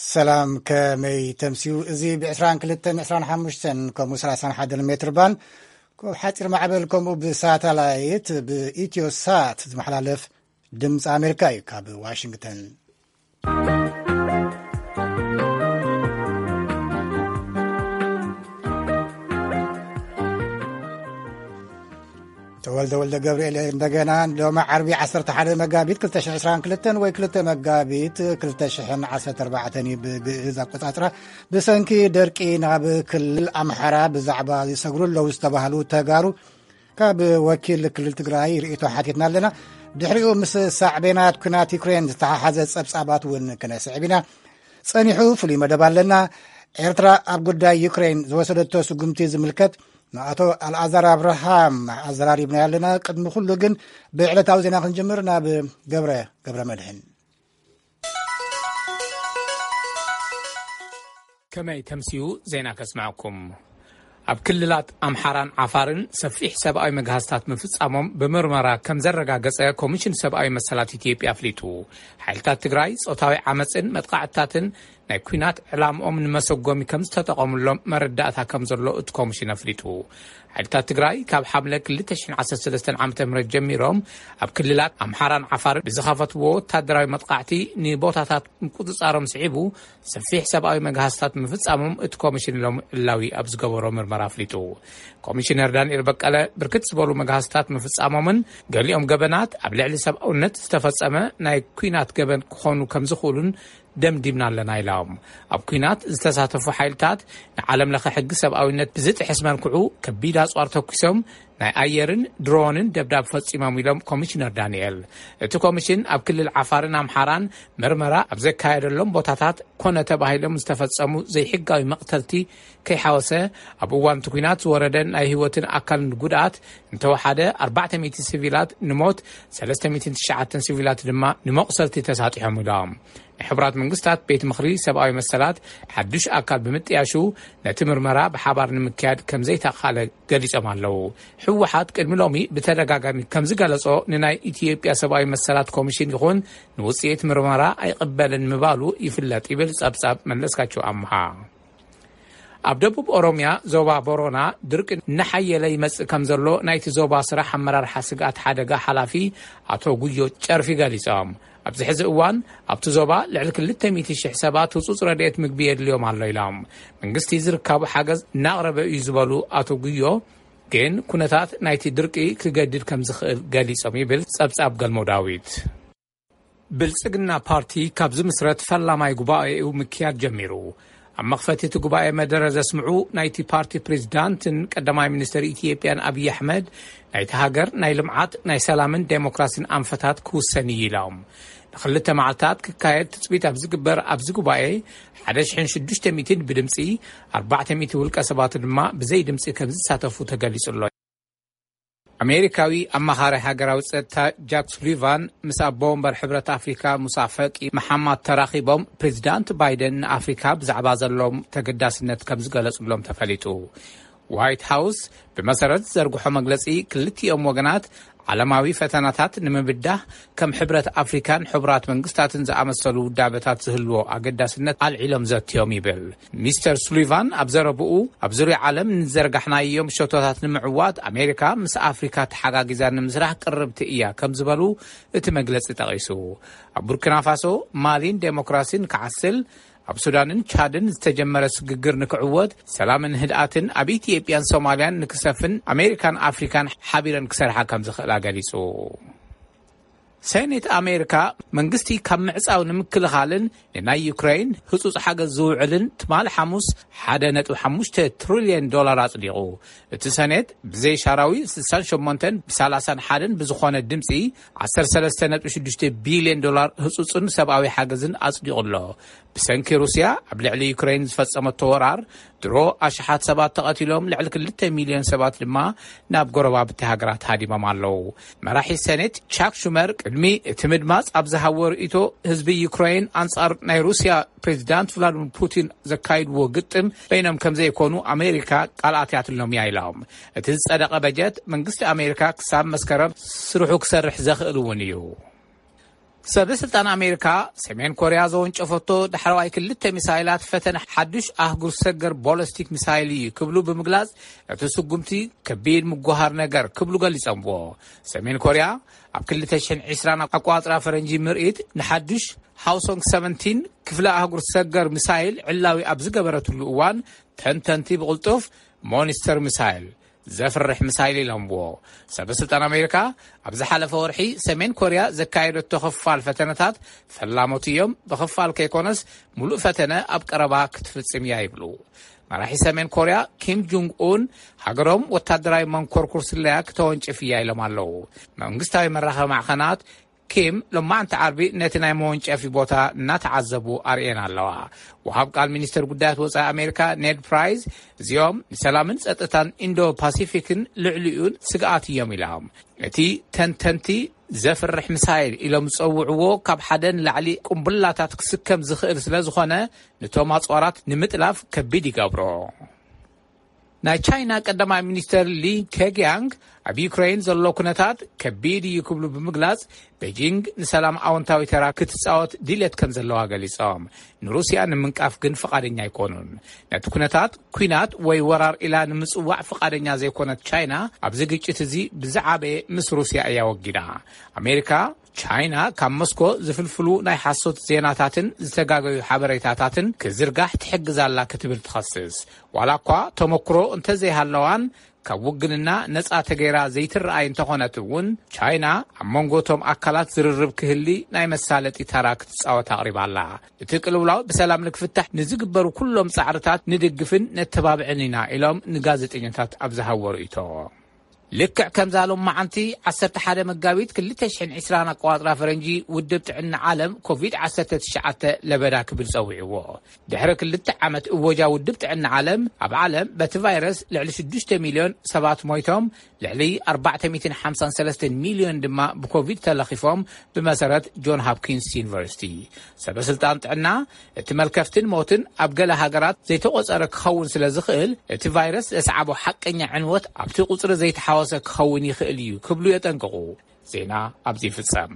ሰላም፣ ከመይ ተምስዩ? እዚ ብ22፣ 25 ከምኡ 31 ሜትር ባንድ፣ ካብ ሓፂር ማዕበል ከምኡ ብሳተላይት ብኢትዮ ሳት ዝመሓላለፍ ድምፂ ኣሜሪካ እዩ። ካብ ዋሽንግተን ተወልደ ወልደ ገብርኤል እንደገና። ሎሚ ዓርቢ 11 መጋቢት 2022 ወይ 2 መጋቢት 2014 እዩ ብግእዝ ኣቆጻጽራ። ብሰንኪ ደርቂ ናብ ክልል ኣምሓራ ብዛዕባ ዝሰግሩ ኣለዉ ዝተባህሉ ተጋሩ ካብ ወኪል ክልል ትግራይ ርእይቶ ሓቲትና ኣለና። ድሕሪኡ ምስ ሳዕቤናት ኲናት ዩክሬን ዝተሓሓዘ ጸብጻባት እውን ክነስዕብ ኢና። ጸኒሑ ፍሉይ መደብ ኣለና። ኤርትራ ኣብ ጉዳይ ዩክሬን ዝወሰደቶ ስጉምቲ ዝምልከት ንኣቶ ኣልኣዛር ኣብርሃም ኣዘራሪብና ኣለና። ቅድሚ ኩሉ ግን ብዕለታዊ ዜና ክንጅምር ናብ ገብረ፣ ገብረ መድህን። ከመይ ተምስዩ ዜና ከስምዐኩም። ኣብ ክልላት ኣምሓራን ዓፋርን ሰፊሕ ሰብኣዊ መግሃስታት ምፍጻሞም ብምርመራ ከም ዘረጋገጸ ኮሚሽን ሰብኣዊ መሰላት ኢትዮጵያ ኣፍሊጡ። ሓይልታት ትግራይ ጾታዊ ዓመጽን መጥቃዕትታትን ናይ ኲናት ዕላምኦም ንመሰጎሚ ከም ዝተጠቐሙሎም መረዳእታ ከም ዘሎ እቲ ኮሚሽን ኣፍሊጡ። ሓይልታት ትግራይ ካብ ሓምለ 2013 ዓ.ም ጀሚሮም ኣብ ክልላት ኣምሓራን ዓፋርን ብዝኸፈትዎ ወታደራዊ መጥቃዕቲ ንቦታታት ምቁጽጻሮም ስዒቡ ሰፊሕ ሰብኣዊ መግሃስታት ምፍጻሞም እቲ ኮሚሽን ሎም ዕላዊ ኣብ ዝገበሮ ምርመራ ኣፍሊጡ። ኮሚሽነር ዳንኤል በቀለ ብርክት ዝበሉ መግሃስታት ምፍጻሞምን ገሊኦም ገበናት ኣብ ልዕሊ ሰብኣውነት ዝተፈጸመ ናይ ኲናት ገበን ክኾኑ ከም ዝኽእሉን ደምዲምና ኣለና ኢሎም። ኣብ ኲናት ዝተሳተፉ ሓይልታት ንዓለም ለኸ ሕጊ ሰብኣዊነት ብዝጥሕስ መልክዑ ከቢድ ኣጽዋር ተኩሶም ናይ ኣየርን ድሮንን ደብዳብ ፈጺሞም ኢሎም ኮሚሽነር ዳንኤል። እቲ ኮሚሽን ኣብ ክልል ዓፋርን ኣምሓራን ምርመራ ኣብ ዘካየደሎም ቦታታት ኮነ ተባሂሎም ዝተፈጸሙ ዘይሕጋዊ መቕተልቲ ከይሓወሰ ኣብ እዋን እቲ ኲናት ዝወረደ ናይ ህይወትን ኣካልን ጉድኣት እንተወሓደ 400 ሲቪላት ንሞት፣ 309 ሲቪላት ድማ ንመቑሰልቲ ተሳጢሖም ኢሎም። ናይ ሕቡራት መንግስታት ቤት ምኽሪ ሰብኣዊ መሰላት ሓዱሽ ኣካል ብምጥያሹ ነቲ ምርመራ ብሓባር ንምክያድ ከም ዘይተኻለ ገሊጾም ኣለዉ። ህወሓት ቅድሚ ሎሚ ብተደጋጋሚ ከም ዝገለጾ ንናይ ኢትዮጵያ ሰብኣዊ መሰላት ኮሚሽን ይኹን ንውጽኢት ምርመራ ኣይቕበልን ምባሉ ይፍለጥ ይብል ጸብጻብ መለስካቸው ኣምሃ። ኣብ ደቡብ ኦሮምያ ዞባ ቦሮና ድርቂ እናሓየለ ይመጽእ ከም ዘሎ ናይቲ ዞባ ስራሕ ኣመራርሓ ስግኣት ሓደጋ ሓላፊ ኣቶ ጉዮ ጨርፊ ገሊጾም። ኣብዚ ሕዚ እዋን ኣብቲ ዞባ ልዕሊ 200,000 ሰባት ህጹጽ ረድኤት ምግቢ የድልዮም ኣሎ ኢሎም። መንግስቲ ዝርካቡ ሓገዝ እናቕረበ እዩ ዝበሉ ኣቶ ጉዮ ግን ኩነታት ናይቲ ድርቂ ክገድድ ከም ዝኽእል ገሊጾም ይብል ጸብጻብ ገልሞ ዳዊት። ብልጽግና ፓርቲ ካብ ዝምስረት ፈላማይ ጉባኤኡ ምክያድ ጀሚሩ። ኣብ መኽፈቲ እቲ ጉባኤ መደረ ዘስምዑ ናይቲ ፓርቲ ፕሬዚዳንትን ቀዳማይ ሚኒስትር ኢትዮጵያን ኣብይ ኣሕመድ ናይቲ ሃገር ናይ ልምዓት፣ ናይ ሰላምን ዴሞክራሲን ኣንፈታት ክውሰን እዩ ኢሎም። ንክልተ መዓልታት ክካየድ ትጽቢት ኣብ ዝግበር ኣብዚ ጉባኤ 1,600 ብድምፂ፣ 400 ውልቀ ሰባት ድማ ብዘይ ድምፂ ከም ዝሳተፉ ተገሊጹ ኣሎ። ኣሜሪካዊ ኣማኻሪ ሃገራዊ ጸጥታ ጃክ ሱሊቫን ምስ ኣቦ ወንበር ሕብረት ኣፍሪካ ሙሳ ፈቂ መሓማድ ተራኺቦም ፕሬዚዳንት ባይደን ንኣፍሪካ ብዛዕባ ዘለዎም ተገዳስነት ከም ዝገለጹሎም ተፈሊጡ። ዋይት ሃውስ ብመሰረት ዝዘርግሖ መግለጺ ክልቲኦም ወገናት ዓለማዊ ፈተናታት ንምብዳህ ከም ሕብረት ኣፍሪካን ሕቡራት መንግስታትን ዝኣመሰሉ ውዳበታት ዝህልዎ ኣገዳስነት ኣልዒሎም ዘትዮም ይብል። ሚስተር ሱሊቫን ኣብ ዘረብኡ ኣብ ዙርያ ዓለም ንዘርጋሕናዮም ሸቶታት ንምዕዋት ኣሜሪካ ምስ ኣፍሪካ ተሓጋጊዛ ንምስራሕ ቅርብቲ እያ ከም ዝበሉ እቲ መግለጺ ጠቒሱ። ኣብ ቡርኪና ፋሶ ማሊን ዴሞክራሲን ክዓስል ኣብ ሱዳንን ቻድን ዝተጀመረ ስግግር ንክዕወት ሰላምን ህድኣትን ኣብ ኢትዮጵያን ሶማልያን ንክሰፍን ኣሜሪካን ኣፍሪካን ሓቢረን ክሰርሓ ከም ዝኽእላ ገሊጹ። ሴኔት ኣሜሪካ መንግስቲ ካብ ምዕጻው ንምክልኻልን ንናይ ዩክሬን ህጹጽ ሓገዝ ዝውዕልን ትማሊ ሓሙስ 1.5 ትሪልዮን ዶላር ኣጽዲቑ። እቲ ሰኔት ብዘይ ሻራዊ 68 ብ31 ብዝኾነ ድምጺ 13.6 ቢልዮን ዶላር ህጹጽን ሰብኣዊ ሓገዝን ኣጽዲቑ ኣሎ። ብሰንኪ ሩስያ ኣብ ልዕሊ ዩክሬን ዝፈጸመቶ ወራር ድሮ ኣሽሓት ሰባት ተቐቲሎም፣ ልዕሊ 2 ሚልዮን ሰባት ድማ ናብ ጎረባብቲ ሃገራት ሃዲሞም ኣለዉ። መራሒ ሰኔት ቻክ ሹመር ቅድሚ እቲ ምድማጽ ኣብ ዝሃቦ ርእይቶ፣ ህዝቢ ዩክሬን ኣንጻር ናይ ሩስያ ፕሬዚዳንት ቭላድሚር ፑቲን ዘካይድዎ ግጥም በይኖም ከም ዘይኮኑ ኣሜሪካ ቃል ኣትያትሎም እያ ኢሎም። እቲ ዝጸደቐ በጀት መንግስቲ ኣሜሪካ ክሳብ መስከረም ስርሑ ክሰርሕ ዘኽእል እውን እዩ። ሰበ ስልጣን ኣሜሪካ፣ ሰሜን ኮርያ ዘወንጨፈቶ ዳሕረዋይ ክልተ ሚሳይላት ፈተነ ሓዱሽ ኣህጉር ሰገር ቦለስቲክ ሚሳይል እዩ ክብሉ ብምግላጽ፣ እቲ ስጉምቲ ከቢድ ምጉሃር ነገር ክብሉ ገሊጾምዎ። ሰሜን ኮርያ ኣብ ክልተ ሽሕን ዕስራን ኣቋጽራ ፈረንጂ ምርኢት ንሓዱሽ ሃውሶንግ ሰቨንቲን ክፍለ ኣህጉር ሰገር ሚሳይል ዕላዊ ኣብ ዝገበረትሉ እዋን፣ ተንተንቲ ብቕልጡፍ ሞኒስተር ሚሳይል፣ ዘፍርሕ ሚሳይል ኢሎምዎ። ሰበ ስልጣን ኣሜሪካ ኣብ ዝሓለፈ ወርሒ ሰሜን ኮርያ ዘካየደቶ ክፋል ፈተነታት ፈላሞት እዮም፣ ብኽፋል ከይኮነስ ሙሉእ ፈተነ ኣብ ቀረባ ክትፍጽም እያ ይብሉ። መራሒ ሰሜን ኮርያ ኪም ጁንግ ኡን ሃገሮም ወታደራዊ መንኮርኩር ስለያ ክተወንጭፍ እያ ኢሎም ኣለዉ። መንግስታዊ መራኸቢ ማዕኸናት ኪም ሎማዕንቲ ዓርቢ ነቲ ናይ መወንጨፊ ቦታ እናተዓዘቡ ኣርእየን ኣለዋ። ወሃብ ቃል ሚኒስተር ጉዳያት ወጻኢ ኣሜሪካ ኔድ ፕራይስ፣ እዚኦም ንሰላምን ጸጥታን ኢንዶ ፓሲፊክን ልዕሊኡን ስግኣት እዮም ኢሎም። እቲ ተንተንቲ ዘፍርሕ ሚሳይል ኢሎም ዝጸውዕዎ ካብ ሓደ ንላዕሊ ቁምብላታት ክስከም ዝኽእል ስለ ዝኾነ፣ ንቶም ኣጽዋራት ንምጥላፍ ከቢድ ይገብሮ። ናይ ቻይና ቀዳማይ ሚኒስተር ሊ ኬግያንግ ኣብ ዩክሬን ዘሎ ኩነታት ከቢድ እዩ ክብሉ ብምግላጽ፣ ቤጂንግ ንሰላም ኣወንታዊ ተራ ክትጻወት ድልየት ከም ዘለዋ ገሊጾም። ንሩስያ ንምንቃፍ ግን ፍቓደኛ ኣይኮኑን። ነቲ ኩነታት ኲናት ወይ ወራር ኢላ ንምጽዋዕ ፍቓደኛ ዘይኮነት ቻይና፣ ኣብዚ ግጭት እዚ ብዝዓበየ ምስ ሩስያ እያ ወጊና። ኣሜሪካ ቻይና ካብ ሞስኮ ዝፍልፍሉ ናይ ሓሶት ዜናታትን ዝተጋገዩ ሓበሬታታትን ክዝርጋሕ ትሕግዝ ኣላ ክትብል ትኸስስ። ዋላ እኳ ተመክሮ እንተዘይሃለዋን፣ ካብ ውግንና ነጻ ተገይራ ዘይትረኣይ እንተኾነት እውን፣ ቻይና ኣብ መንጎ እቶም ኣካላት ዝርርብ ክህሊ ናይ መሳለጢ ታራ ክትጻወት ኣቕሪባ ኣላ። እቲ ቅልውላው ብሰላም ንክፍታሕ ንዝግበሩ ኩሎም ጻዕርታት ንድግፍን ነተባብዕን ኢና ኢሎም ንጋዜጠኛታት ኣብ ዝሃብዎ ርእይቶ። ልክዕ ከምዛ ሎም መዓንቲ ዓሰርተ ሓደ መጋቢት ክልተ ሽሕን ዕስራን ኣቋጽራ ፈረንጂ ውድብ ጥዕና ዓለም ኮቪድ ዓሰርተ ትሽዓተ ለበዳ ክብል ጸዊዕዎ። ድሕሪ ክልተ ዓመት እወጃ ውድብ ጥዕና ዓለም፣ ኣብ ዓለም በቲ ቫይረስ ልዕሊ ሽዱሽተ ሚልዮን ሰባት ሞይቶም፣ ልዕሊ ኣርባዕተ ሚእትን ሓምሳን ሰለስተን ሚልዮን ድማ ብኮቪድ ተለኺፎም፣ ብመሰረት ጆን ሆፕኪንስ ዩኒቨርሲቲ። ሰበ ስልጣን ጥዕና፣ እቲ መልከፍትን ሞትን ኣብ ገለ ሃገራት ዘይተቖጸረ ክኸውን ስለ ዝኽእል፣ እቲ ቫይረስ ዘስዓቦ ሓቀኛ ዕንወት ኣብቲ ቁጽሪ ዘይተሓወሰ ክኸውን ይኽእል እዩ ክብሉ የጠንቅቑ። ዜና ኣብዚ ይፍጸም።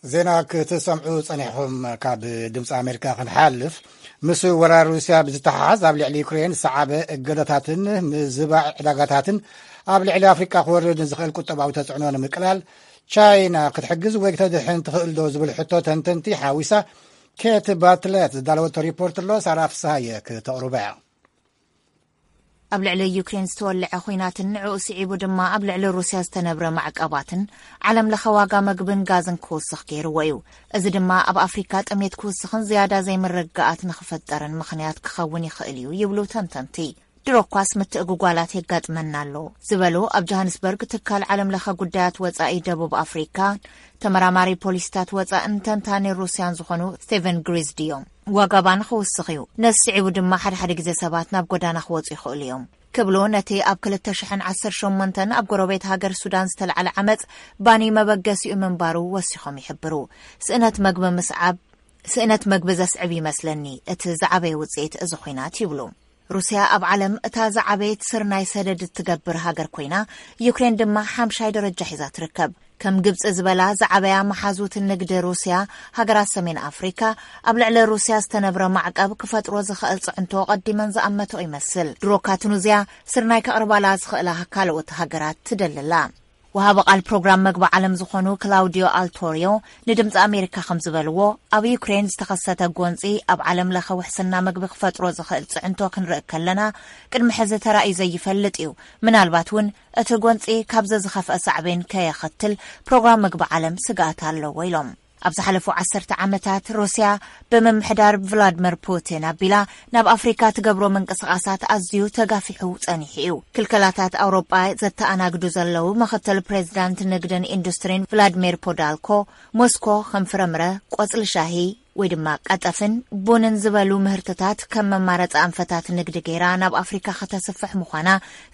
ዜና ክትሰምዑ ጸኒሕኹም ካብ ድምፂ ኣሜሪካ ክንሓልፍ፣ ምስ ወራር ሩስያ ብዝተሓሓዝ ኣብ ልዕሊ ዩክሬን ዝሰዓበ እገዳታትን ምዝባዕ ዕዳጋታትን ኣብ ልዕሊ ኣፍሪቃ ክወርድ ንዝኽእል ቁጠባዊ ተጽዕኖ ንምቅላል ቻይና ክትሕግዝ ወይ ክተድሕን ትኽእል ዶ ዝብል ሕቶ ተንተንቲ ሓዊሳ ኬት ባትለት ዝዳለወቶ ሪፖርት ኣሎ። ሳራ ፍስሃየ ክተቕርቦ እያ። ኣብ ልዕሊ ዩክሬን ዝተወልዐ ኲናትን ንዕኡ ስዒቡ ድማ ኣብ ልዕሊ ሩስያ ዝተነብረ ማዕቀባትን ዓለም ለኸ ዋጋ መግብን ጋዝን ክውስኽ ገይርዎ እዩ። እዚ ድማ ኣብ ኣፍሪካ ጥሜት ክውስኽን ዝያዳ ዘይምርግጋኣት ንኽፈጠርን ምኽንያት ክኸውን ይኽእል እዩ ይብሉ ተንተንቲ። ድሮ እኳስ ምትእጉጓላት የጋጥመና ኣሎ ዝበሉ ኣብ ጆሃንስበርግ ትካል ዓለም ለኸ ጉዳያት ወፃኢ ደቡብ ኣፍሪካ ተመራማሪ ፖሊሲታት ወፃእን ተንታኒ ሩስያን ዝኾኑ ስቴቨን ግሪዝድ እዮም። ዋጋ ባን ክውስኽ እዩ። ነዚ ስዒቡ ድማ ሓደ ሓደ ግዜ ሰባት ናብ ጎዳና ክወፁ ይኽእሉ እዮም ክብሉ ነቲ ኣብ ክልተ ሽሕን ዓሰርተ ሸሞንተን ኣብ ጎረቤት ሃገር ሱዳን ዝተልዓለ ዓመፅ ባኒ መበገሲኡ ምንባሩ ወሲኾም ይሕብሩ። ስእነት መግቢ ምስዓብ፣ ስእነት መግቢ ዘስዕብ ይመስለኒ እቲ ዝዓበየ ውፅኢት እዚ ኹናት ይብሉ። ሩስያ ኣብ ዓለም እታ ዝዓበየት ስርናይ ሰደድ እትገብር ሃገር ኮይና፣ ዩክሬን ድማ ሓምሻይ ደረጃ ሒዛ ትርከብ። ከም ግብፂ ዝበላ ዝዓበያ መሓዙት ንግዲ ሩስያ፣ ሃገራት ሰሜን ኣፍሪካ ኣብ ልዕሊ ሩስያ ዝተነብረ ማዕቀብ ክፈጥሮ ዝኽእል ፅዕንቶ ቀዲመን ዝኣመተኦ ይመስል። ድሮካ ቱኒዝያ ስርናይ ከቕርባላ ዝኽእላ ካልኦት ሃገራት ትደልላ። ወሃቢ ቃል ፕሮግራም መግቢ ዓለም ዝኾኑ ክላውዲዮ ኣልቶሪዮ ንድምፂ ኣሜሪካ ከም ዝበልዎ፣ ኣብ ዩክሬን ዝተኸሰተ ጎንፂ ኣብ ዓለም ለኸ ውሕስና መግቢ ክፈጥሮ ዝኽእል ፅዕንቶ ክንርኢ ከለና፣ ቅድሚ ሕዚ ተራእዩ ዘይፈልጥ እዩ። ምናልባት እውን እቲ ጎንፂ ካብዚ ዝኸፍአ ሳዕቤን ከየኸትል ፕሮግራም መግቢ ዓለም ስግኣት ኣለዎ ኢሎም። ኣብ ዝሓለፉ ዓሰርተ ዓመታት ሩስያ ብምምሕዳር ቭላድመር ፑቲን ኣቢላ ናብ ኣፍሪካ ትገብሮ ምንቅስቓሳት ኣዝዩ ተጋፊሑ ጸኒሑ እዩ። ክልከላታት ኣውሮጳ ዘተኣናግዱ ዘለዉ ምኽትል ፕሬዚዳንት ንግድን ኢንዱስትሪን ቭላድሚር ፖዳልኮ፣ ሞስኮ ከም ፍረምረ፣ ቆጽሊ ሻሂ፣ ወይ ድማ ቀጠፍን ቡንን ዝበሉ ምህርትታት ከም መማረፂ ኣንፈታት ንግዲ ገይራ ናብ ኣፍሪካ ከተስፍሕ ምዃና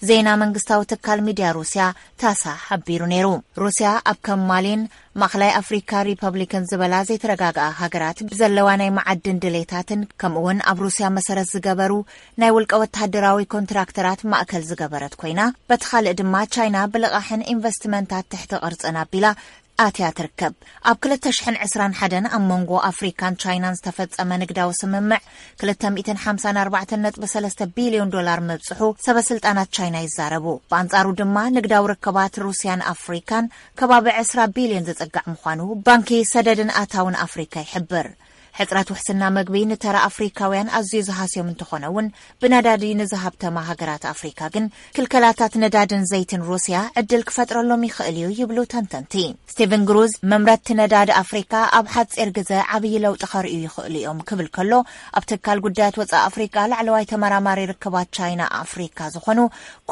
ዜና መንግስታዊ ትካል ሚድያ ሩስያ ታሳ ሓቢሩ ነይሩ። ሩስያ ኣብ ከም ማሊን ማእኸላይ ኣፍሪካ ሪፐብሊክን ዝበላ ዘይተረጋግኣ ሃገራት ብዘለዋ ናይ መዓድን ድሌታትን ከምኡውን ኣብ ሩስያ መሰረት ዝገበሩ ናይ ውልቀ ወተሃደራዊ ኮንትራክተራት ማእከል ዝገበረት ኮይና፣ በቲ ካልእ ድማ ቻይና ብልቓሕን ኢንቨስትመንታት ትሕቲ ቅርጽን ኣቢላ ኣትያ ትርከብ። ኣብ ክልተ ሽሕን ዕስራን ሓደን ኣብ መንጎ ኣፍሪካን ቻይናን ዝተፈጸመ ንግዳዊ ስምምዕ ክልተ ሚእትን ሓምሳን ኣርባዕተን ነጥቢ ሰለስተ ቢልዮን ዶላር ምብጽሑ ሰበ ስልጣናት ቻይና ይዛረቡ። ብኣንጻሩ ድማ ንግዳዊ ርክባት ሩስያን ኣፍሪካን ከባቢ ዕስራ ቢልዮን ዝጽጋዕ ምዃኑ ባንኪ ሰደድን ኣታውን ኣፍሪካ ይሕብር። ሕጽረት ውሕስና መግቢ ንተራ ኣፍሪካውያን ኣዝዩ ዝሃስዮም እንተኾነ እውን፣ ብነዳዲ ንዝሃብተማ ሃገራት ኣፍሪካ ግን ክልከላታት ነዳድን ዘይትን ሩስያ ዕድል ክፈጥረሎም ይኽእል እዩ ይብሉ ተንተንቲ። ስቲቨን ግሩዝ፣ መምረትቲ ነዳዲ ኣፍሪካ ኣብ ሓጺር ግዘ ዓብዪ ለውጢ ከርእዩ ይኽእሉ እዮም ክብል ከሎ፣ ኣብ ትካል ጉዳያት ወፃኢ ኣፍሪካ ላዕለዋይ ተመራማሪ ርክባት ቻይና ኣፍሪካ ዝኾኑ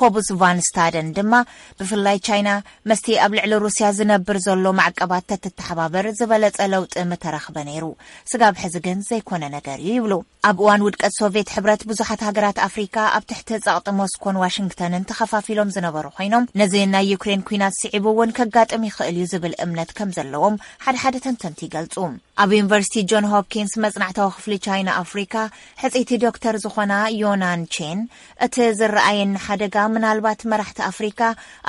ኮቡስ ቫን ስታደን ድማ፣ ብፍላይ ቻይና መስቲ ኣብ ልዕሊ ሩስያ ዝነብር ዘሎ ማዕቀባት ተትተሓባበር ዝበለጸ ለውጢ ምተረኽበ ነይሩ። ስጋብ ሕዚ ግን ዘይኮነ ነገር እዩ ይብሉ። ኣብ እዋን ውድቀት ሶቪየት ሕብረት ብዙሓት ሃገራት ኣፍሪካ ኣብ ትሕቲ ጸቕጢ ሞስኮን ዋሽንግተንን ተኸፋፊሎም ዝነበሩ ኮይኖም፣ ነዚ ናይ ዩክሬን ኲናት ስዒቡ እውን ከጋጥም ይኽእል እዩ ዝብል እምነት ከም ዘለዎም ሓደ ሓደ ተንተንቲ ይገልጹ። ኣብ ዩኒቨርሲቲ ጆን ሆፕኪንስ መጽናዕታዊ ክፍሊ ቻይና ኣፍሪካ ሕጽይቲ ዶክተር ዝኾና ዮናን ቼን፣ እቲ ዝረኣየኒ ሓደጋ ምናልባት መራሕቲ ኣፍሪካ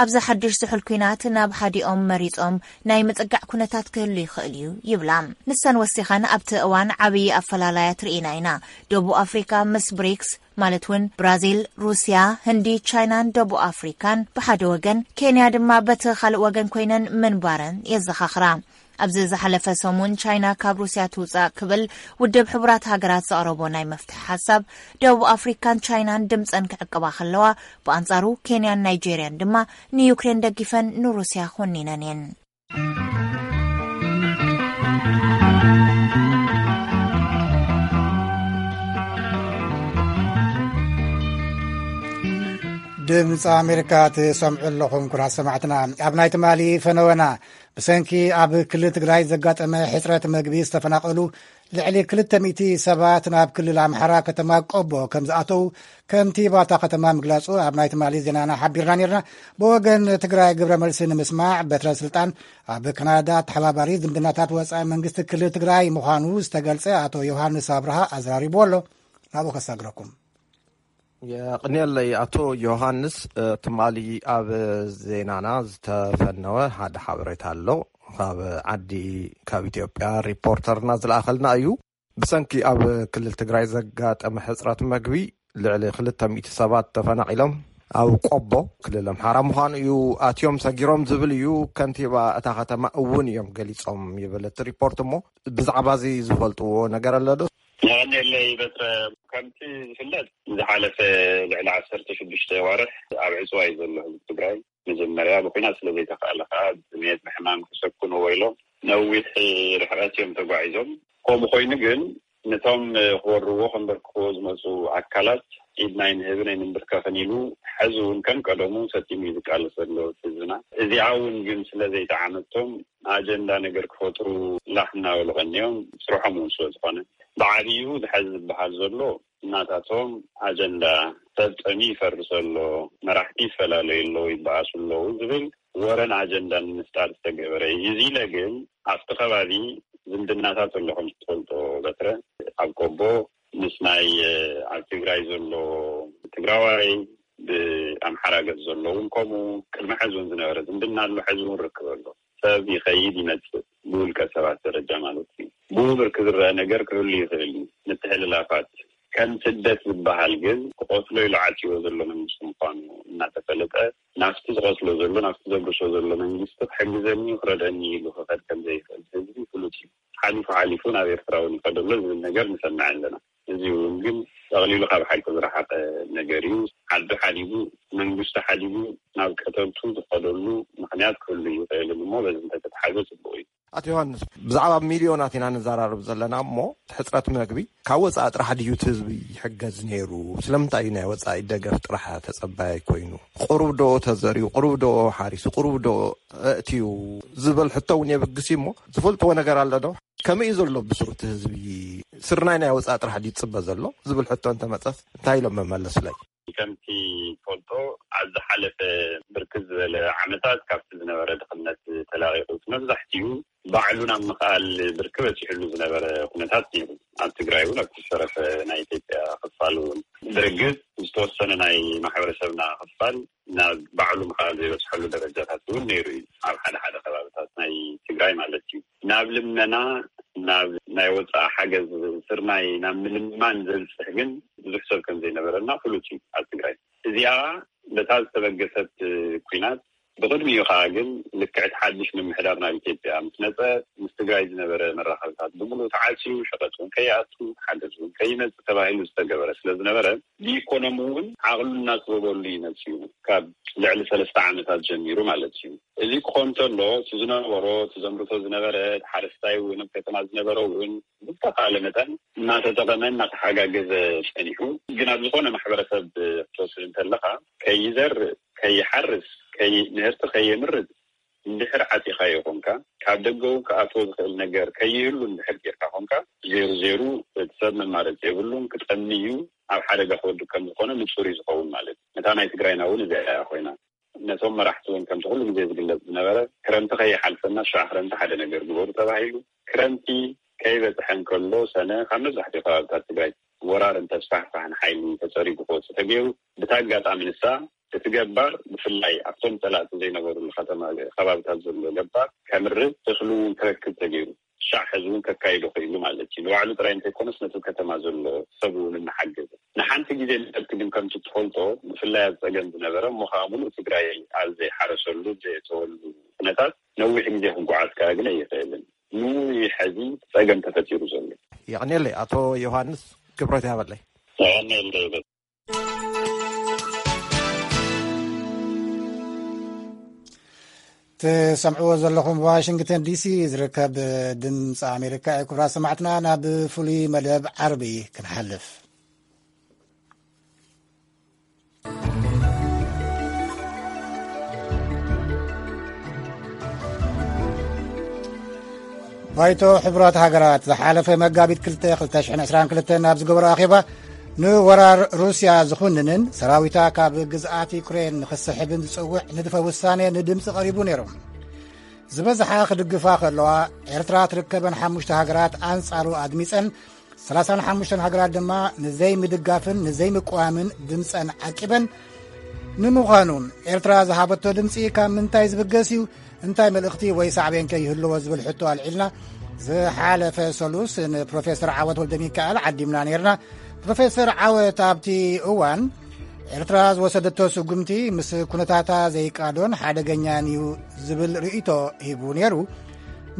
ኣብዚ ሓድሽ ዝሑል ኲናት ናብ ሓዲኦም መሪጾም ናይ ምጽጋዕ ኩነታት ክህሉ ይኽእል እዩ ይብላ። ንሰን ወሲኸን፣ ኣብቲ እዋን ዓብዪ ኣፈላላያት ርኢና ኢና። ደቡብ ኣፍሪካ ምስ ብሪክስ፣ ማለት እውን ብራዚል፣ ሩስያ፣ ህንዲ፣ ቻይናን ደቡብ ኣፍሪካን ብሓደ ወገን፣ ኬንያ ድማ በቲ ካልእ ወገን ኮይነን ምንባረን የዘኻኽራ። ኣብዚ ዝሓለፈ ሰሙን ቻይና ካብ ሩስያ ትውጻእ ክብል ውድብ ሕቡራት ሃገራት ዘቕረቦ ናይ መፍትሒ ሓሳብ፣ ደቡብ ኣፍሪካን ቻይናን ድምጸን ክዕቅባ ከለዋ፣ ብኣንጻሩ ኬንያን ናይጄርያን ድማ ንዩክሬን ደጊፈን ንሩስያ ኮኒነን እየን። ድምፂ ኣሜሪካ ትሰምዑ ኣለኹም ክቡራት ሰማዕትና። ኣብ ናይ ትማሊ ፈነወና፣ ብሰንኪ ኣብ ክልል ትግራይ ዘጋጠመ ሕፅረት መግቢ ዝተፈናቐሉ ልዕሊ ክልተ ሚእቲ ሰባት ናብ ክልል ኣምሓራ ከተማ ቆቦ ከም ዝኣተው ከንቲባ እታ ከተማ ምግላፁ ኣብ ናይ ትማሊ ዜናና ሓቢርና ነርና። ብወገን ትግራይ ግብረ መልሲ ንምስማዕ በትረ ስልጣን ኣብ ካናዳ ተሓባባሪ ዝምድናታት ወፃኢ መንግስቲ ክልል ትግራይ ምዃኑ ዝተገልጸ ኣቶ ዮሃንስ ኣብርሃ ኣዘራሪብዎ ኣሎ። ናብኡ ከሳግረኩም። የቕንየለይ ኣቶ ዮሃንስ። እ፣ ትማሊ ኣብ ዜናና ዝተፈነወ ሓደ ሓበሬታ ኣሎ። ካብ ዓዲ፣ ካብ ኢትዮጵያ ሪፖርተርና ዝለኣኸልና እዩ። ብሰንኪ ኣብ ክልል ትግራይ ዘጋጠመ ሕፅረት መግቢ ልዕሊ ክልተ ሚእቲ ሰባት ተፈናቒሎም ኣብ ቆቦ ክልል ኣምሓራ ምዃኑ እዩ ኣትዮም ሰጊሮም ዝብል እዩ። ከንቲባ እታ ከተማ እውን እዮም ገሊጾም ይብል እቲ ሪፖርት። እሞ ብዛዕባ እዚ ዝፈልጥዎ ነገር ኣሎ ዶ? የቐንየለይ በትረ፣ ከምቲ ዝፍለጥ ዝሓለፈ ልዕሊ ዓሰርተ ሽዱሽተ ዋርሕ ኣብ ዕፅዋ እዩ ዘሎ ህዝቢ ትግራይ። መጀመርያ ብኲናት ስለ ዘይተኻእለ ከዓ ብጥሜት ብሕማም ክሰኩንዎ ኢሎም ነዊሕ ርሕቀት እዮም ተጓዒዞም። ከምኡ ኮይኑ ግን ነቶም ክወርዎ ከንበርክኽዎ ዝመፁ ኣካላት ኢድና ኣይንህብን ኣይንንብርከኽን ኢሉ ሕዚ እውን ከም ቀደሙ ሰጢሙ እዩ ዝቃለስ ዘሎ ህዝብና። እዚኣ እውን ግን ስለ ዘይጠዓመቶም ኣጀንዳ ነገር ክፈጥሩ ላሕ እናበሉ ቀኒዮም፣ ስርሖም እውን ስለ ዝኾነ። ብዓብዩ ዝሐዚ ዝበሃል ዘሎ እናታቶም ኣጀንዳ ሰብ ጠሚ ይፈርስ ኣሎ፣ መራሕቲ ይፈላለዩ ኣለዉ፣ ይበኣሱ ኣለዉ ዝብል ወረን ኣጀንዳን ንምፍጣር ዝተገበረ እዩ። እዚ ኢለ ግን ኣብቲ ከባቢ ዝምድናታት ኣሎ ከም ትፈልጦ በትረ፣ ኣብ ቆቦ ምስ ናይ ኣብ ትግራይ ዘሎ ትግራዋይ ብኣምሓራ ገጽ ዘሎ እውን ከምኡ ቅድሚ ሕዚ እውን ዝነበረ ዝምድና ኣሎ፣ ሕዚ እውን ርክብ ኣሎ። ሰብ ይኸይድ ይመጽእ፣ ብውልቀ ሰባት ደረጃ ማለት እዩ። ብውብርክ ዝረአ ነገር ክህሉ ይኽእል እዩ። ምትሕልላፋት ከም ስደት ዝበሃል ግን ክቐትሎ ኢሉ ዓጽዎ ዘሎ መንግስቲ ምዃኑ እናተፈለጠ፣ ናብቲ ዝቐትሎ ዘሎ፣ ናብቲ ዘብርሶ ዘሎ መንግስቲ ክሕግዘኒ ክረድአኒ ኢሉ ክኸድ ከም ዘይኽእል ህዝቢ ፍሉጥ እዩ። ሓሊፉ ሓሊፉ ናብ ኤርትራ እውን ይኸደሎ ዝብል ነገር ንሰምዕ ኣለና። እዚ እውን ግን ጠቕሊሉ ካብ ሓቂ ዝረሓቐ ነገር እዩ። ዓዱ ሓዲጉ፣ መንግስቱ ሓዲጉ ናብ ቀተልቱ ዝኸደሉ ምኽንያት ክህሉ ይኽእልን እሞ በዚ እንተተትሓዘ ጽቡቕ እዩ። ኣቶ ዮሃንስ፣ ብዛዕባ ሚልዮናት ኢና ንዘራረብ ዘለና እሞ፣ እቲ ሕጽረት መግቢ ካብ ወጻኢ ጥራሕ ድዩ እቲ ህዝቢ ይሕገዝ ነይሩ? ስለምንታይ እዩ ናይ ወጻኢ ደገፍ ጥራሕ ተጸባያይ ኮይኑ? ቁሩብ ዶ ተዘሪኡ? ቁሩብ ዶ ሓሪሱ? ቁሩብ ዶ ኣእትዩ? ዝበል ሕቶ እውን የብግስ እዩ እሞ፣ ዝፈልጥዎ ነገር ኣሎ ዶ? ከመይ እዩ ዘሎ ብስሩ እቲ ህዝቢ? ስርናይ ናይ ወፃኢ ጥራሕ ድዩ ዝፅበ ዘሎ ዝብል ሕቶ እንተመፀስ እንታይ ኢሎም መመለሱለይ? ከምቲ ትፈልጦ ኣብ ዝሓለፈ ብርክት ዝበለ ዓመታት ካብቲ ዝነበረ ድኽነት ተላቒቑ መብዛሕትኡ ባዕሉ ናብ ምኽኣል ብርኪ በፂሕሉ ዝነበረ ኩነታት ነይሩ። ኣብ ትግራይ እውን ኣብቲ ዝተረፈ ናይ ኢትዮጵያ ክፋል እውን ብርግፅ ዝተወሰነ ናይ ማሕበረሰብና ክፋል ናብ ባዕሉ ምኽኣል ዘይበፅሐሉ ደረጃታት እውን ነይሩ እዩ። ኣብ ሓደ ሓደ ከባብታት ናይ ትግራይ ማለት እዩ። ናብ ልመና፣ ናብ ናይ ወፃኢ ሓገዝ፣ ስርናይ ናብ ምልማን ዘብፅሕ ግን ብዙሕ ሰብ ከም ዘይነበረና ፍሉጥ እዩ ኣብ ትግራይ። እዚኣ በታ ዝተበገሰት ኩናት፣ ብቕድሚኡ ከዓ ግን ልክዕቲ ሓድሽ ምምሕዳር ናብ ኢትዮጵያ ምስ መፀ፣ ምስ ትግራይ ዝነበረ መራኸብታት ብምሉእ ተዓፅዩ፣ ሸቐጥ እውን ከይኣቱ፣ ሓገዝ እውን ከይመፅእ ተባሂሉ ዝተገበረ ስለ ዝነበረ፣ ብኢኮኖሚ እውን ዓቕሉ እናፅበበሉ እዩ መፅዩ፣ ካብ ልዕሊ ሰለስተ ዓመታት ጀሚሩ ማለት እዩ። እዚ ክኾን እንተሎ፣ እቲ ዝነበሮ፣ እቲ ዘምርቶ ዝነበረ፣ እቲ ሓረስታይ እውን ኣብ ከተማ ዝነበረ እውን ብዝተኻለ መጠን እናተጠቐመ እናተሓጋገዘ ጸኒሑ። ግን ኣብ ዝኾነ ማሕበረሰብ ክትወስድ እንተለኻ፣ ከይዘርእ፣ ከይሓርስ፣ ከይ-፣ ምህርቲ ከየምርት እንድሕር ዓጺኻዮ ኮንካ፣ ካብ ደገ እውን ክኣትዎ ዝኽእል ነገር ከይህሉ እንድሕር ጌርካ ኮንካ፣ ዜሩ ዜሩ እቲ ሰብ መማረፂ የብሉን፣ ክጠሚ እዩ፣ ኣብ ሓደጋ ክወድቅ ከም ዝኾነ ንጹር እዩ ዝኸውን ማለት እዩ። ነታ ናይ ትግራይና እውን እዚኣ እያ ኮይና። ነቶም መራሕቲ እውን ከምቲ ኩሉ ግዜ ዝግለጽ ዝነበረ፣ ክረምቲ ከይሓልፈና ሽዓ ክረምቲ ሓደ ነገር ግበሩ ተባሂሉ። ክረምቲ ከይበጽሐ እንከሎ ሰነ ካብ መብዛሕትኡ ከባብታት ትግራይ ወራር እንተስፋሕፋሕን ሓይሊ ተጸሪጉ ክወጽእ ተገይሩ። ብታ ኣጋጣሚ ንሳ እቲ ገባር ብፍላይ ኣብቶም ጸላእቲ ዘይነበሩሉ ከተማ ከባብታት ዘሎ ገባር ከምርት እኽሊ እውን ክረክብ ተገይሩ። ሻዕ ሕዚ እውን ከካይዶ ክኢሉ ማለት እዩ። ንባዕሉ ጥራይ እንተይኮነስ ነቲ ከተማ ዘሎ ሰብ እውን እናሓገዘ። ንሓንቲ ግዜ ንሰብቲ ግን ከምቲ ትፈልጦ ብፍላይ ኣብ ጸገም ዝነበረ እሞ ከዓ ሙሉእ ትግራይ ኣብ ዘይሓረሰሉ ዘየተወሉ ኩነታት ነዊሕ ግዜ ክጓዓዝ ከዓ ግን ኣይኽእልን። ንውይ ሕዚ ጸገም ተፈጢሩ ዘሎ። የቐንየለይ ኣቶ ዮሃንስ፣ ክብረት ያበለይ። የቐንየለይ። ትሰምዕዎ ዘለኹም ዋሽንግተን ዲሲ ዝርከብ ድምፂ ኣሜሪካ እዩ። ክቡራት ሰማዕትና፣ ናብ ፍሉይ መደብ ዓርቢ ክንሓልፍ። ባይቶ ሕቡራት ሃገራት ዝሓለፈ መጋቢት ክልተ ክልተ ሽሕን ዕስራን ክልተን ኣብ ዝገበሮ ኣኼባ፣ ንወራር ሩስያ ዝኹንንን ሰራዊታ ካብ ግዝኣት ዩክሬን ንኽስሕብን ዝጸውዕ ንድፈ ውሳኔ ንድምጺ ቀሪቡ ነይሩ። ዝበዝሓ ክድግፋ ከለዋ፣ ኤርትራ ትርከበን ሓሙሽተ ሃገራት ኣንጻሩ ኣድሚጸን፣ ሰላሳን ሓሙሽተን ሃገራት ድማ ንዘይምድጋፍን ንዘይምቅዋምን ድምጸን ዓቂበን። ንምዃኑ፣ ኤርትራ ዝሃበቶ ድምጺ ካብ ምንታይ ዝብገስ እዩ? እንታይ መልእኽቲ ወይ ሳዕቤን ከ ይህልዎ ዝብል ሕቶ ኣልዒልና፣ ዝሓለፈ ሰሉስ ንፕሮፌሰር ዓወት ወልደ ሚካኤል ዓዲምና ነይርና። ፕሮፌሰር ዓወት ኣብቲ እዋን፣ ኤርትራ ዝወሰደቶ ስጉምቲ ምስ ኩነታታ ዘይቃዶን ሓደገኛን እዩ ዝብል ርእይቶ ሂቡ ነይሩ።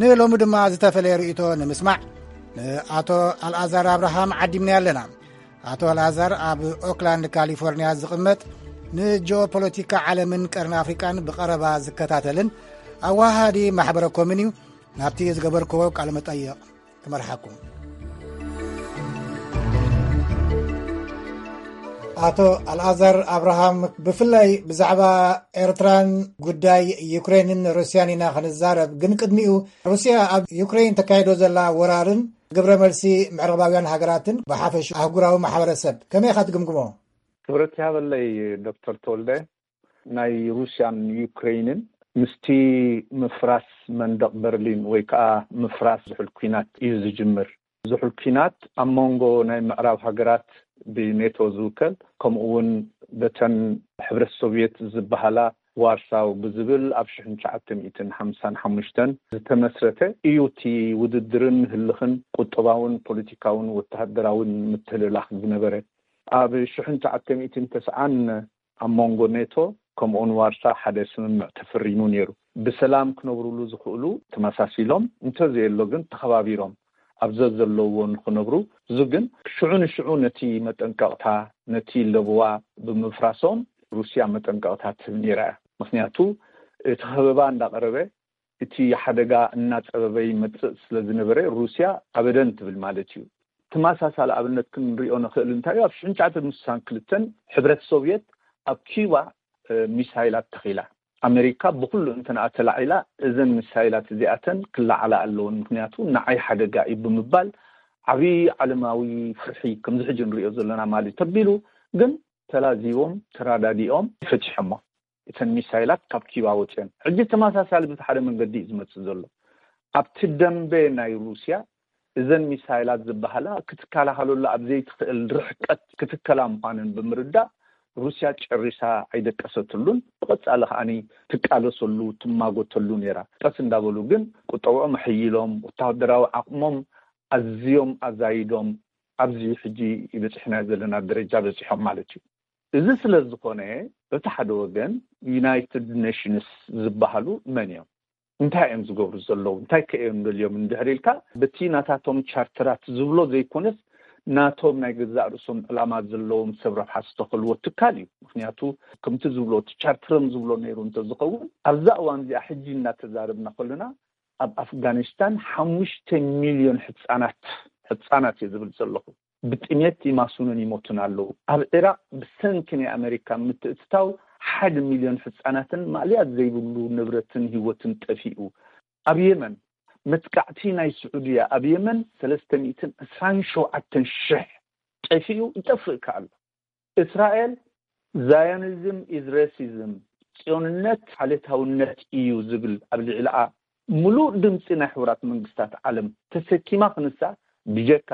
ንሎሚ ድማ ዝተፈለየ ርእይቶ ንምስማዕ ንኣቶ ኣልኣዛር ኣብርሃም ዓዲምና ኣለና። ኣቶ ኣልኣዛር ኣብ ኦክላንድ ካሊፎርኒያ ዝቕመጥ፣ ንጂኦፖለቲካ ዓለምን ቀርኒ ኣፍሪቃን ብቐረባ ዝከታተልን ኣዋሃዲ ማሕበረ ኮምን እዩ። ናብቲ ዝገበርክዎ ቃለ መጠይቕ ክመርሓኩም። ኣቶ ኣልኣዛር ኣብርሃም፣ ብፍላይ ብዛዕባ ኤርትራን ጉዳይ ዩክሬንን ሩስያን ኢና ክንዛረብ። ግን ቅድሚኡ፣ ሩስያ ኣብ ዩክሬን ተካይዶ ዘላ ወራርን ግብረ መልሲ ምዕራባውያን ሃገራትን ብሓፈሽ ኣህጉራዊ ማሕበረሰብ ከመይ ኢኻ ትግምግሞ? ክብረት ይሃበለይ ዶክተር ተወልደ። ናይ ሩስያን ዩክሬንን ምስቲ ምፍራስ መንደቕ በርሊን ወይ ከዓ ምፍራስ ዝሑል ኲናት እዩ ዝጅምር። ዝሑል ኲናት ኣብ መንጎ ናይ ምዕራብ ሃገራት ብኔቶ ዝውከል፣ ከምኡ እውን በተን ሕብረት ሶቭየት ዝበሃላ ዋርሳው ብዝብል ኣብ ሽሕን ትሽዓተ ሚእትን ሓምሳን ሓሙሽተን ዝተመስረተ እዩ። እቲ ውድድርን ህልኽን ቁጠባውን ፖለቲካውን ወተሃደራውን ምትህልላኽ ዝነበረ። ኣብ ሽሕን ትሽዓተ ሚእትን ተስዓን ኣብ መንጎ ኔቶ ከምኡውን ዋርሳ ሓደ ስምምዕ ተፈሪሙ ነይሩ። ብሰላም ክነብሩሉ ዝኽእሉ ተመሳሲሎም፣ እንተዘየሎ ግን ተኸባቢሮም ኣብ ዘዘለውዎ ንኽነብሩ። እዚ ግን ሽዑ ንሽዑ ነቲ መጠንቀቕታ፣ ነቲ ለበዋ ብምፍራሶም ሩስያ መጠንቀቕታ ትህብ ነይራ እያ። ምኽንያቱ እቲ ከበባ እንዳቐረበ፣ እቲ ሓደጋ እናጸበበ ይመጽእ ስለ ዝነበረ፣ ሩስያ ኣበደን ትብል ማለት እዩ። ተመሳሳሊ ኣብነት ክንሪኦ ንኽእል እንታይ እዩ? ኣብ ሽሕን ትሽዓተ ሚእትን ስሳን ክልተን ሕብረት ሶቭየት ኣብ ኪዩባ፣ እ፣ ሚሳይላት ተኺላ። ኣሜሪካ ብኩሉ እንተንኣ ተላዒላ፣ እዘን ሚሳይላት እዚኣተን ክለዓላ ኣለውን፣ ምክንያቱ ንዓይ ሓደጋ እዩ ብምባል ዓብዪ ዓለማዊ ፍርሒ፣ ከምዚ ሕጂ ንሪኦ ዘለና ማለት ተቢሉ። ግን ተላዚቦም ተራዳዲኦም ፈቲሖሞ። እተን ሚሳይላት ካብ ኪባ ወፅአን። ሕጂ ተመሳሳሊ ብቲ ሓደ መንገዲ እዩ ዝመፅእ ዘሎ። ኣብቲ ደንበ ናይ ሩስያ እዘን ሚሳይላት ዝበሃላ ክትከላኸለሉ ኣብ ዘይትኽእል ርሕቀት ክትከላ ምዃነን ብምርዳእ፣ ሩስያ ጨሪሳ ኣይደቀሰትሉን። ብቐጻሊ ከዓኒ ትቃለሰሉ፣ ትማጎተሉ ነይራ። ቀስ እንዳበሉ ግን ቁጠብኦም ኣሕይሎም፣ ወታደራዊ ዓቕሞም ኣዝዮም ኣዛይዶም፣ ኣብዚ ሕጂ ይበፅሕና ዘለና ደረጃ በፂሖም ማለት እዩ። እዚ ስለ ዝኾነ፣ በቲ ሓደ ወገን ዩናይትድ ኔሽንስ ዝበሃሉ መን እዮም? እንታይ እዮም ዝገብሩ ዘለዉ? እንታይ ከ እዮም ደልዮም? እንድሕር ኢልካ፣ በቲ ናታቶም ቻርተራት ዝብሎ ዘይኮነስ፣ ናቶም ናይ ገዛእ ርእሶም ዕላማ ዘለዎም ሰብ ረብሓ ዝተኸልዎ ትካል እዩ። ምክንያቱ፣ ከምቲ ዝብሎ፣ እቲ ቻርተሮም ዝብሎ ነይሩ እንተዝኸውን፣ ኣብዛ እዋን እዚኣ ሕጂ እናተዛረብና ከለና፣ ኣብ ኣፍጋኒስታን ሓሙሽተ ሚልዮን ህጻናት፣ ህጻናት እየ ዝብል ዘለኹ፣ ብጥሜት ይማስኑን ይሞቱን ኣለዉ። ኣብ ዒራቕ ብሰንኪ ናይ ኣመሪካ ምትእትታው ሓደ ሚልዮን ህጻናትን ማእለያ ዘይብሉ ንብረትን ህይወትን ጠፊኡ። ኣብ የመን መጥቃዕቲ ናይ ስዑድያ ኣብ የመን ሰለስተ ሚእትን ዕስራን ሸውዓተን ሽሕ ጠፊኡ፣ ይጠፍእ ከኣ ኣሎ። እስራኤል ዛዮኒዝም ኢዝ ሬሲዝም፣ ጽዮንነት ዓሌታውነት እዩ ዝብል ኣብ ልዕሊኣ ምሉእ ድምጺ ናይ ሕቡራት መንግስታት ዓለም ተሰኪማ ክንሳ፣ ብጀካ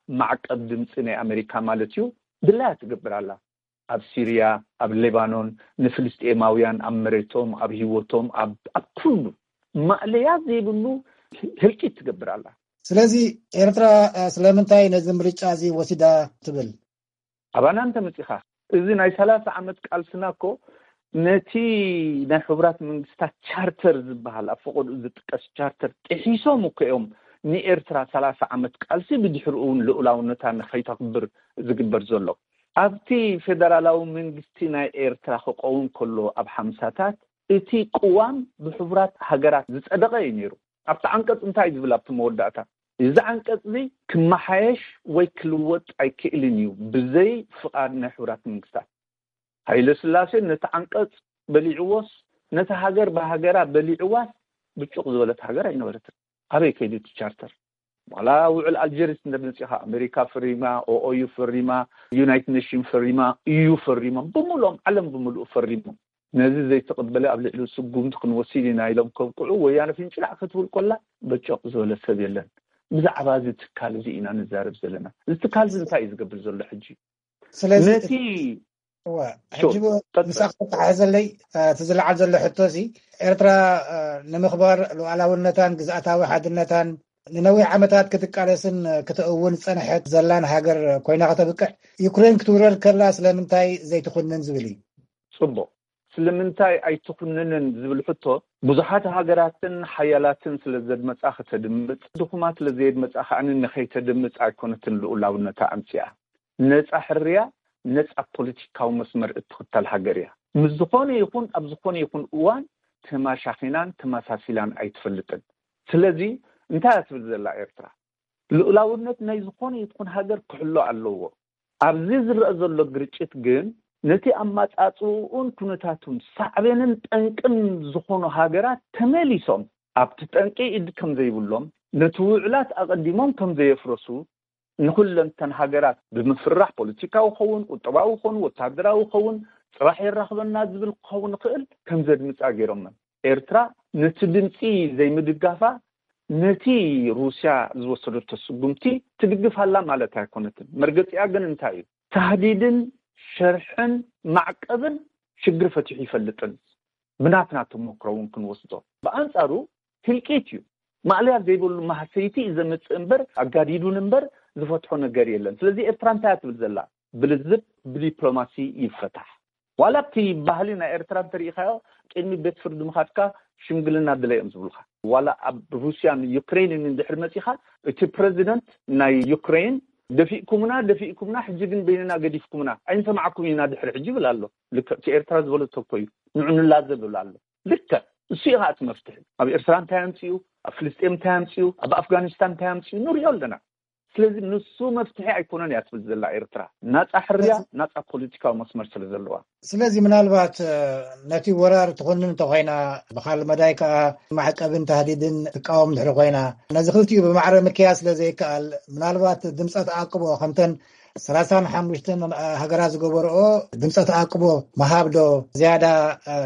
ማዕቀብ ድምጺ ናይ ኣመሪካ ማለት እዩ፣ ድላያ ትገብር ኣላ። ኣብ ሲርያ፣ ኣብ ሌባኖን፣ ንፍልስጤማውያን ኣብ መሬቶም፣ ኣብ ህይወቶም፣ ኣብ፣ ኣብ ኩሉ ማእለያ ዘይብሉ ህልቂት ትገብር ኣላ። ስለዚ ኤርትራ፣ እ፣ ስለምንታይ ነዚ ምርጫ እዚ ወሲዳ ትብል? ኣባና እንተመጺኻ፣ እዚ ናይ ሰላሳ ዓመት ቃልስና እኮ ነቲ ናይ ሕቡራት መንግስታት ቻርተር ዝበሃል፣ ኣብ ፈቐድኡ ዝጥቀስ ቻርተር ጥሒሶም እኮ እዮም ንኤርትራ ሰላሳ ዓመት ቃልሲ፣ ብድሕሪኡ እውን ልኡላውነታ ንኸይተኽብር ዝግበር ዘሎ። ኣብቲ ፌደራላዊ መንግስቲ ናይ ኤርትራ ክኸውን ከሎ ኣብ ሓምሳታት፣ እቲ ቅዋም ብሕቡራት ሃገራት ዝጸደቐ እዩ ነይሩ። ኣብቲ ዓንቀጽ እንታይ እዩ ዝብል? ኣብቲ መወዳእታ፣ እዚ ዓንቀጽ እዚ ክመሓየሽ ወይ ክልወጥ ኣይክእልን እዩ ብዘይ ፍቓድ ናይ ሕቡራት መንግስታት። ሃይለ ስላሴ ነቲ ዓንቀጽ በሊዕዎስ፣ ነቲ ሃገር ብሃገራ በሊዕዋስ፣ ብጩቕ ዝበለት ሃገር ኣይነበረትን። ኣበይ ከይዱ እቲ ቻርተር? ዋላ ውዕል ኣልጀሪስ እንተመጺኻ፣ ኣሜሪካ ፈሪማ፣ ኦኦዩ ፈሪማ፣ ዩናይትድ ኔሽን ፈሪማ፣ ኢዩ ፈሪሞም፣ ብምሉኦም ዓለም ብምሉኡ ፈሪሞም። ነዚ ዘይተቐበለ ኣብ ልዕሊ ስጉምቲ ክንወስድ ኢና ኢሎም ከብቅዑ፣ ወያነ ፍንጭላዕ ክትብል ኮላ በጨቕ ዝበለ ሰብ የለን። ብዛዕባ እዚ ትካል እዚ ኢና ንዛረብ ዘለና። እዚ ትካል እዚ እንታይ እዩ ዝገብር ዘሎ ሕጂ? ስለዚ ነቲ እዋ፣ ሹር፣ ሕጂ ቀጥል። ምሳኻ ተተሓሕዘለይ፣ እ፣ እቲ ዝለዓል ዘሎ ሕቶ እዚ፣ ኤርትራ፣ እ፣ ንምኽባር ሉዓላውነታን ግዝኣታዊ ሓድነታን ንነዊሕ ዓመታት ክትቃለስን፣ እ፣ ክትእውን ዝጸንሐት ዘላን ሃገር ኮይና ከተብቅዕ፣ ዩክሬን ክትውረር ከላ ስለምንታይ ዘይትኹንን ዝብል እዩ። ጽቡቕ። ስለምንታይ ኣይትኹንንን ዝብል ሕቶ፣ ብዙሓት ሃገራትን ሓያላትን ስለ ዘድመጻ ከተድምጽ፣ ድኹማት ስለ ዘየድመጻ ከኣ ንኸይተድምጽ ኣይኮነትን ልኡላውነታ ኣምጺኣ። ነጻ ሕርያ፣ ነጻ ፖለቲካዊ መስመር እትኽተል ሃገር እያ። ምስ ዝኾነ ይኹን ኣብ ዝኾነ ይኹን እዋን ተማሻኺናን ተመሳሲላን ኣይትፈልጥን። ስለዚ እንታይ እያ ትብል ዘላ ኤርትራ? ልኡላውነት ናይ ዝኾነ ይኹን ሃገር ክሕሎ ኣለዎ። ኣብዚ ዝረአ ዘሎ ግርጭት ግን ነቲ ኣመጻጽኡን ኩነታቱን ሳዕቤንን ጠንቅን ዝኾኑ ሃገራት ተመሊሶም ኣብቲ ጠንቂ ኢድ ከም ዘይብሎም፣ ነቲ ውዕላት ኣቐዲሞም ከም ዘየፍረሱ፣ ንኹለንተን ሃገራት ብምፍርራሕ፣ ፖለቲካዊ ኸውን፣ ቁጠባዊ ኸውን፣ ወታደራዊ ኸውን፣ ጽባሕ የራኽበና ዝብል ክኸውን ይኽእል፣ ከም ዘድምጻ ገይሮመን። ኤርትራ ነቲ ድምጺ ዘይምድጋፋ ነቲ ሩስያ ዝወሰደቶ ስጉምቲ ትድግፍ ኣላ ማለት ኣይኮነትን። መርገጺኣ ግን እንታይ እዩ? ታህዲድን ሸርሕን ማዕቀብን ሽግር ፈቲሑ ይፈልጥን። ብናትና ተመክሮ እውን ክንወስዶ። ብኣንጻሩ ህልቂት እዩ። ማእለያ ዘይብሉ ማህሰይቲ እዩ ዘምጽእ እምበር፣ ኣጋዲዱን እምበር ዝፈትሖ ነገር የለን። ስለዚ ኤርትራ እንታይ እያ ትብል ዘላ? ብልዝብ፣ ብዲፕሎማሲ ይፈታሕ። ዋላ ኣብቲ ባህሊ ናይ ኤርትራ እንተሪኢኻዮ፣ ቅድሚ ቤት ፍርዲ ምኻድካ ሽምግልና ድለ እዮም ዝብሉኻ። ዋላ ኣብ ሩስያን ዩክሬንን እንድሕር መጺኻ፣ እቲ ፕረዚደንት ናይ ዩክሬን፣ "ደፊእኩምና፣ ደፊእኩምና፣ ሕጂ ግን በይንና ገዲፍኩምና፣ ኣይንሰማዓኩም ኢና ድሕሪ ሕጂ" ይብል ኣሎ። ልክዕ እቲ ኤርትራ ዝበለቶ እኮ እዩ። ንዑ ንላዘብ ይብል ኣሎ። ልክዕ እሱ እዩ ኸዓ እቲ መፍትሒ። ኣብ ኤርትራ እንታይ ኣምጺኡ? ኣብ ፍልስጤም እንታይ ኣምጺኡ? ኣብ ኣፍጋኒስታን እንታይ ኣምጺኡ? ንሪኦ ኣለና። ስለዚ ንሱ መፍትሒ ኣይኮነን እያ ትብል ዘላ ኤርትራ፣ ናጻ ሕርያ፣ ናጻ ፖለቲካዊ መስመር ስለ ዘለዋ። ስለዚ ምናልባት ነቲ ወራር ትኹንን እንተኾይና፣ ብኻልእ መዳይ ከኣ ማዕቀብን ታህዲድን ትቃወም ድሕሪ ኮይና፣ ነዚ ክልቲኡ ብማዕረ ምክያድ ስለ ዘይከኣል፣ ምናልባት ድምፀ ተኣቅቦ ከምተን ሰላሳን ሓሙሽተን ሃገራት ዝገበርኦ ድምፀ ተኣቅቦ ምሃብ ዶ ዝያዳ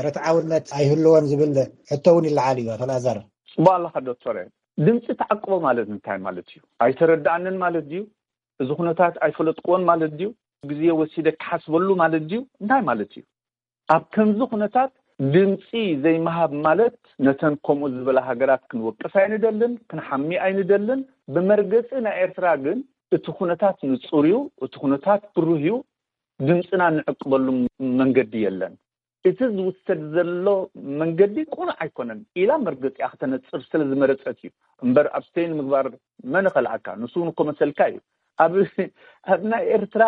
ርትዓውነት ኣይህልዎን ዝብል ሕቶ እውን ይለዓል እዩ። ኣቶ ኣልኣዛር። ጽቡቅ ኣለኻ ዶክተር። ድምፂ ተዓቅቦ ማለት እንታይ ማለት እዩ? ኣይተረዳኣንን ማለት ድዩ? እዚ ኩነታት ኣይፈለጥክዎን ማለት ድዩ? ግዜ ወሲደ ክሓስበሉ ማለት ድዩ? እንታይ ማለት እዩ? ኣብ ከምዚ ኩነታት ድምፂ ዘይምሃብ ማለት ነተን ከምኡ ዝበላ ሃገራት ክንወቅስ ኣይንደልን፣ ክንሓሚ ኣይንደልን። ብመርገፂ ናይ ኤርትራ ግን እቲ ኩነታት ንፁር እዩ፣ እቲ ኩነታት ብሩህ እዩ። ድምፅና ንዕቅበሉ መንገዲ የለን። እቲ ዝውሰድ ዘሎ መንገዲ ቅኑዕ ኣይኮነን ኢላ መርገፂኣ ክተነፅር ስለ ዝመረፀት እዩ እምበር፣ ኣብስተይን ምግባር መን ኸልኣካ? ንሱ እውን እኮ መሰልካ እዩ። ኣብ ኣብ ናይ ኤርትራ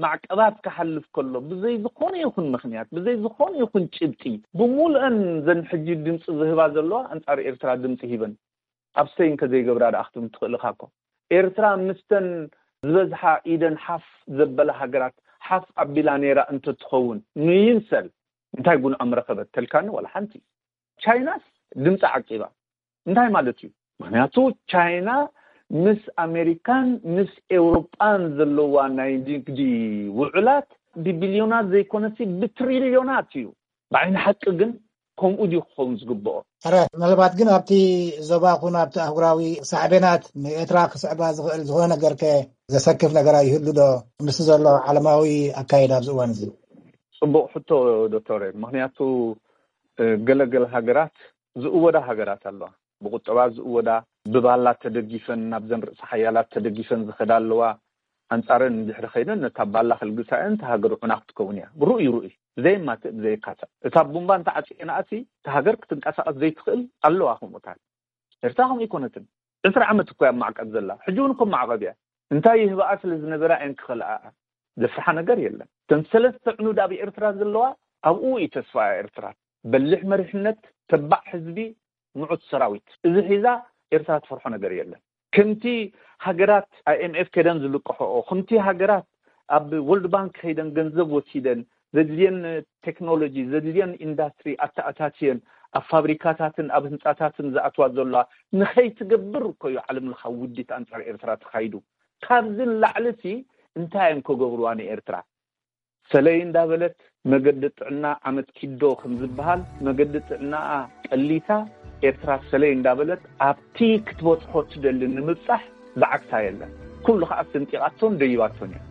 ማዕቀባት ክሓልፍ ከሎ ብዘይ ዝኾነ ይኹን ምኽንያት፣ ብዘይ ዝኾነ ይኹን ጭብጢ፣ ብሙሉአን ዘን ሕጂ ድምፂ ዝህባ ዘለዋ ኣንጻር ኤርትራ ድምፂ ሂበን ኣብስተይን ከዘይገብራ ደኣ ክትብል ትኽእል ኢኻ እኮ። ኤርትራ ምስተን ዝበዝሓ ኢደን ሓፍ ዘበላ ሃገራት ሓፍ ኣቢላ ነይራ እንተትኸውን፣ ንይምሰል እንታይ ጉንዖም ረኸበት ተልካኒ? ዋላ ሓንቲ። ቻይናስ ድምፂ ዓቂባ። እንታይ ማለት እዩ? ምኽንያቱ ቻይና ምስ ኣሜሪካን ምስ ኤውሮጳን ዘለዋ ናይ ንግዲ ውዕላት ብቢልዮናት ዘይኮነሲ ብትሪልዮናት እዩ። ብዓይኒ ሓቂ ግን ከምኡ ድዩ ክኸውን ዝግብኦ? ሕረ፣ ምናልባት ግን ኣብቲ ዞባ ኹን ኣብቲ ኣህጉራዊ ሳዕቤናት ንኤርትራ ክስዕባ ዝኽእል ዝኾነ ነገር ከ ዘሰክፍ ነገር ኣይህሉ ዶ? ምስ ዘሎ ዓለማዊ ኣካይዳ ኣብዚ እዋን እዚ። ጽቡቕ ሕቶ ዶክተር። ምኽንያቱ፣ እ፣ ገለገለ ሃገራት ዝእወዳ ሃገራት ኣለዋ። ብቁጠባ ዝእወዳ፣ ብባላ ተደጊፈን፣ ናብዘን ርእሰ ሓያላት ተደጊፈን ዝኸዳ ኣለዋ። ኣንጻረን እንድሕሪ ኸይደን፣ ነታ ባላ ክልግሳ እየን፣ እታ ሃገር ዑና ክትከውን እያ። ርኡይ፣ ርኡይ። ብዘየማትእ፣ ብዘየካትዕ። እታ ቡምባ እንተዓጽየናኣሲ፣ እታ ሃገር ክትንቀሳቐስ ዘይትኽእል ኣለዋ። ከምኡታት ኤርትራ ከምኡ ኣይኮነትን። ዕስራ ዓመት እኮ እያ ኣብ ማዕቀብ ዘላ። ሕጂ እውን እኮ ማዕቀብ እያ። እንታይ ይህብኣ ስለ ዝነበራ እየን ክኸልኣኣ? ዘፍርሓ ነገር የለን። እተን ሰለስተ ዕኑድ ኣብ ኤርትራ ዘለዋ፣ ኣብኡ እዩ ተስፋ ኤርትራ። በሊሕ መሪሕነት፣ ተባዕ ህዝቢ፣ ምዑት ሰራዊት። እዚ ሒዛ ኤርትራ ትፈርሖ ነገር የለን። ከምቲ ሃገራት ኣይ ኤም ኤፍ ከይደን ዝልቅሕኦ፣ ከምቲ ሃገራት ኣብ ወርልድ ባንክ ከይደን ገንዘብ ወሲደን፣ ዘድልየን ቴክኖሎጂ፣ ዘድልየን ኢንዳስትሪ ኣተኣታትየን፣ ኣብ ፋብሪካታትን ኣብ ህንጻታትን ዝኣትዋ ዘለዋ፣ ንኸይትገብር እኮ እዩ ዓለም ለኻዊ ውዲት ኣንጻር ኤርትራ ተኻይዱ። ካብዚ ንላዕሊሲ እንታይ እዮም ክገብርዋ ንኤርትራ? ሰለይ እንዳበለት መገዲ ጥዕና ዓመት ኪዶ ከም ዝበሃል፣ መገዲ ጥዕናኣ ቀሊሳ፣ ኤርትራ ሰለይ እንዳበለት ኣብቲ ክትበጽሖ ትደሊ ንምብጻሕ ብዓግታ የለን። ኩሉ ከኣ ሰንጢቓቶን ደይባቶን እያ።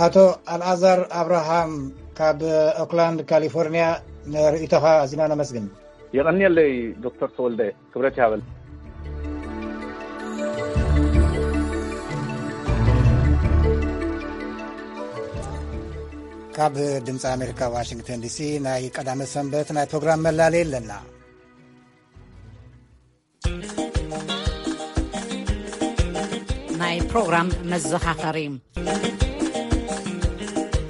ኣቶ ኣልኣዛር ኣብርሃም ካብ ኦክላንድ ካሊፎርኒያ፣ ንርእይቶኻ ኣዚና ነመስግን። የቐንየለይ ዶክተር ተወልደ፣ ክብረት ይሃበል። ካብ ድምፂ ኣሜሪካ ዋሽንግተን ዲሲ ናይ ቀዳመ ሰንበት ናይ ፕሮግራም መላለይ ኣለና። ናይ ፕሮግራም መዘኻኸሪ።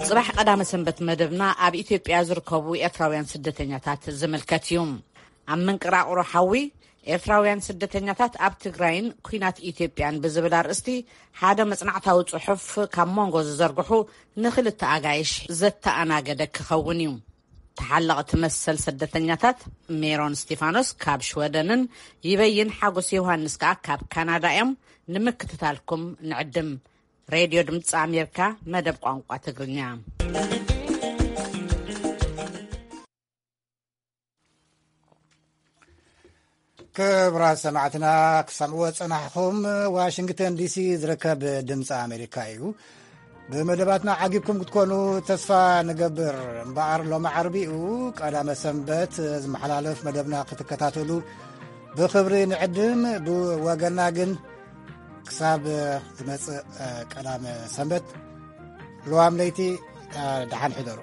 ጽባሕ ቀዳመ ሰንበት መደብና ኣብ ኢትዮጵያ ዝርከቡ ኤርትራውያን ስደተኛታት ዝምልከት እዩ። ኣብ መንቅራቕሮ ሓዊ ኤርትራውያን ስደተኛታት ኣብ ትግራይን ኲናት ኢትዮጵያን ብዝብል ኣርእስቲ ሓደ መጽናዕታዊ ጽሑፍ ካብ መንጎ ዝዘርግሑ ንኽልተ ኣጋይሽ ዘተኣናገደ ክኸውን እዩ። ተሓለቕቲ መሰል ስደተኛታት ሜሮን እስቲፋኖስ ካብ ሽወደንን ይበይን ሓጎስ ዮሃንስ ከኣ ካብ ካናዳ እዮም። ንምክትታልኩም ንዕድም። ሬድዮ ድምፂ ኣሜሪካ፣ መደብ ቋንቋ ትግርኛ። ክቡራት ሰማዕትና፣ ክሰምዕዎ ዝጸናሕኹም ዋሽንግተን ዲሲ ዝርከብ ድምፂ ኣሜሪካ እዩ። ብመደባትና ዓጊብኩም ክትኮኑ ተስፋ ንገብር። እምበኣር ሎሚ ዓርቢኡ ቀዳመ ሰንበት ዝመሓላለፍ መደብና ክትከታተሉ ብኽብሪ ንዕድም። ብወገና ግን ክሳብ ዝመጽእ ቀዳመ ሰንበት፣ ልዋም ለይቲ ደሓን ሕደሩ።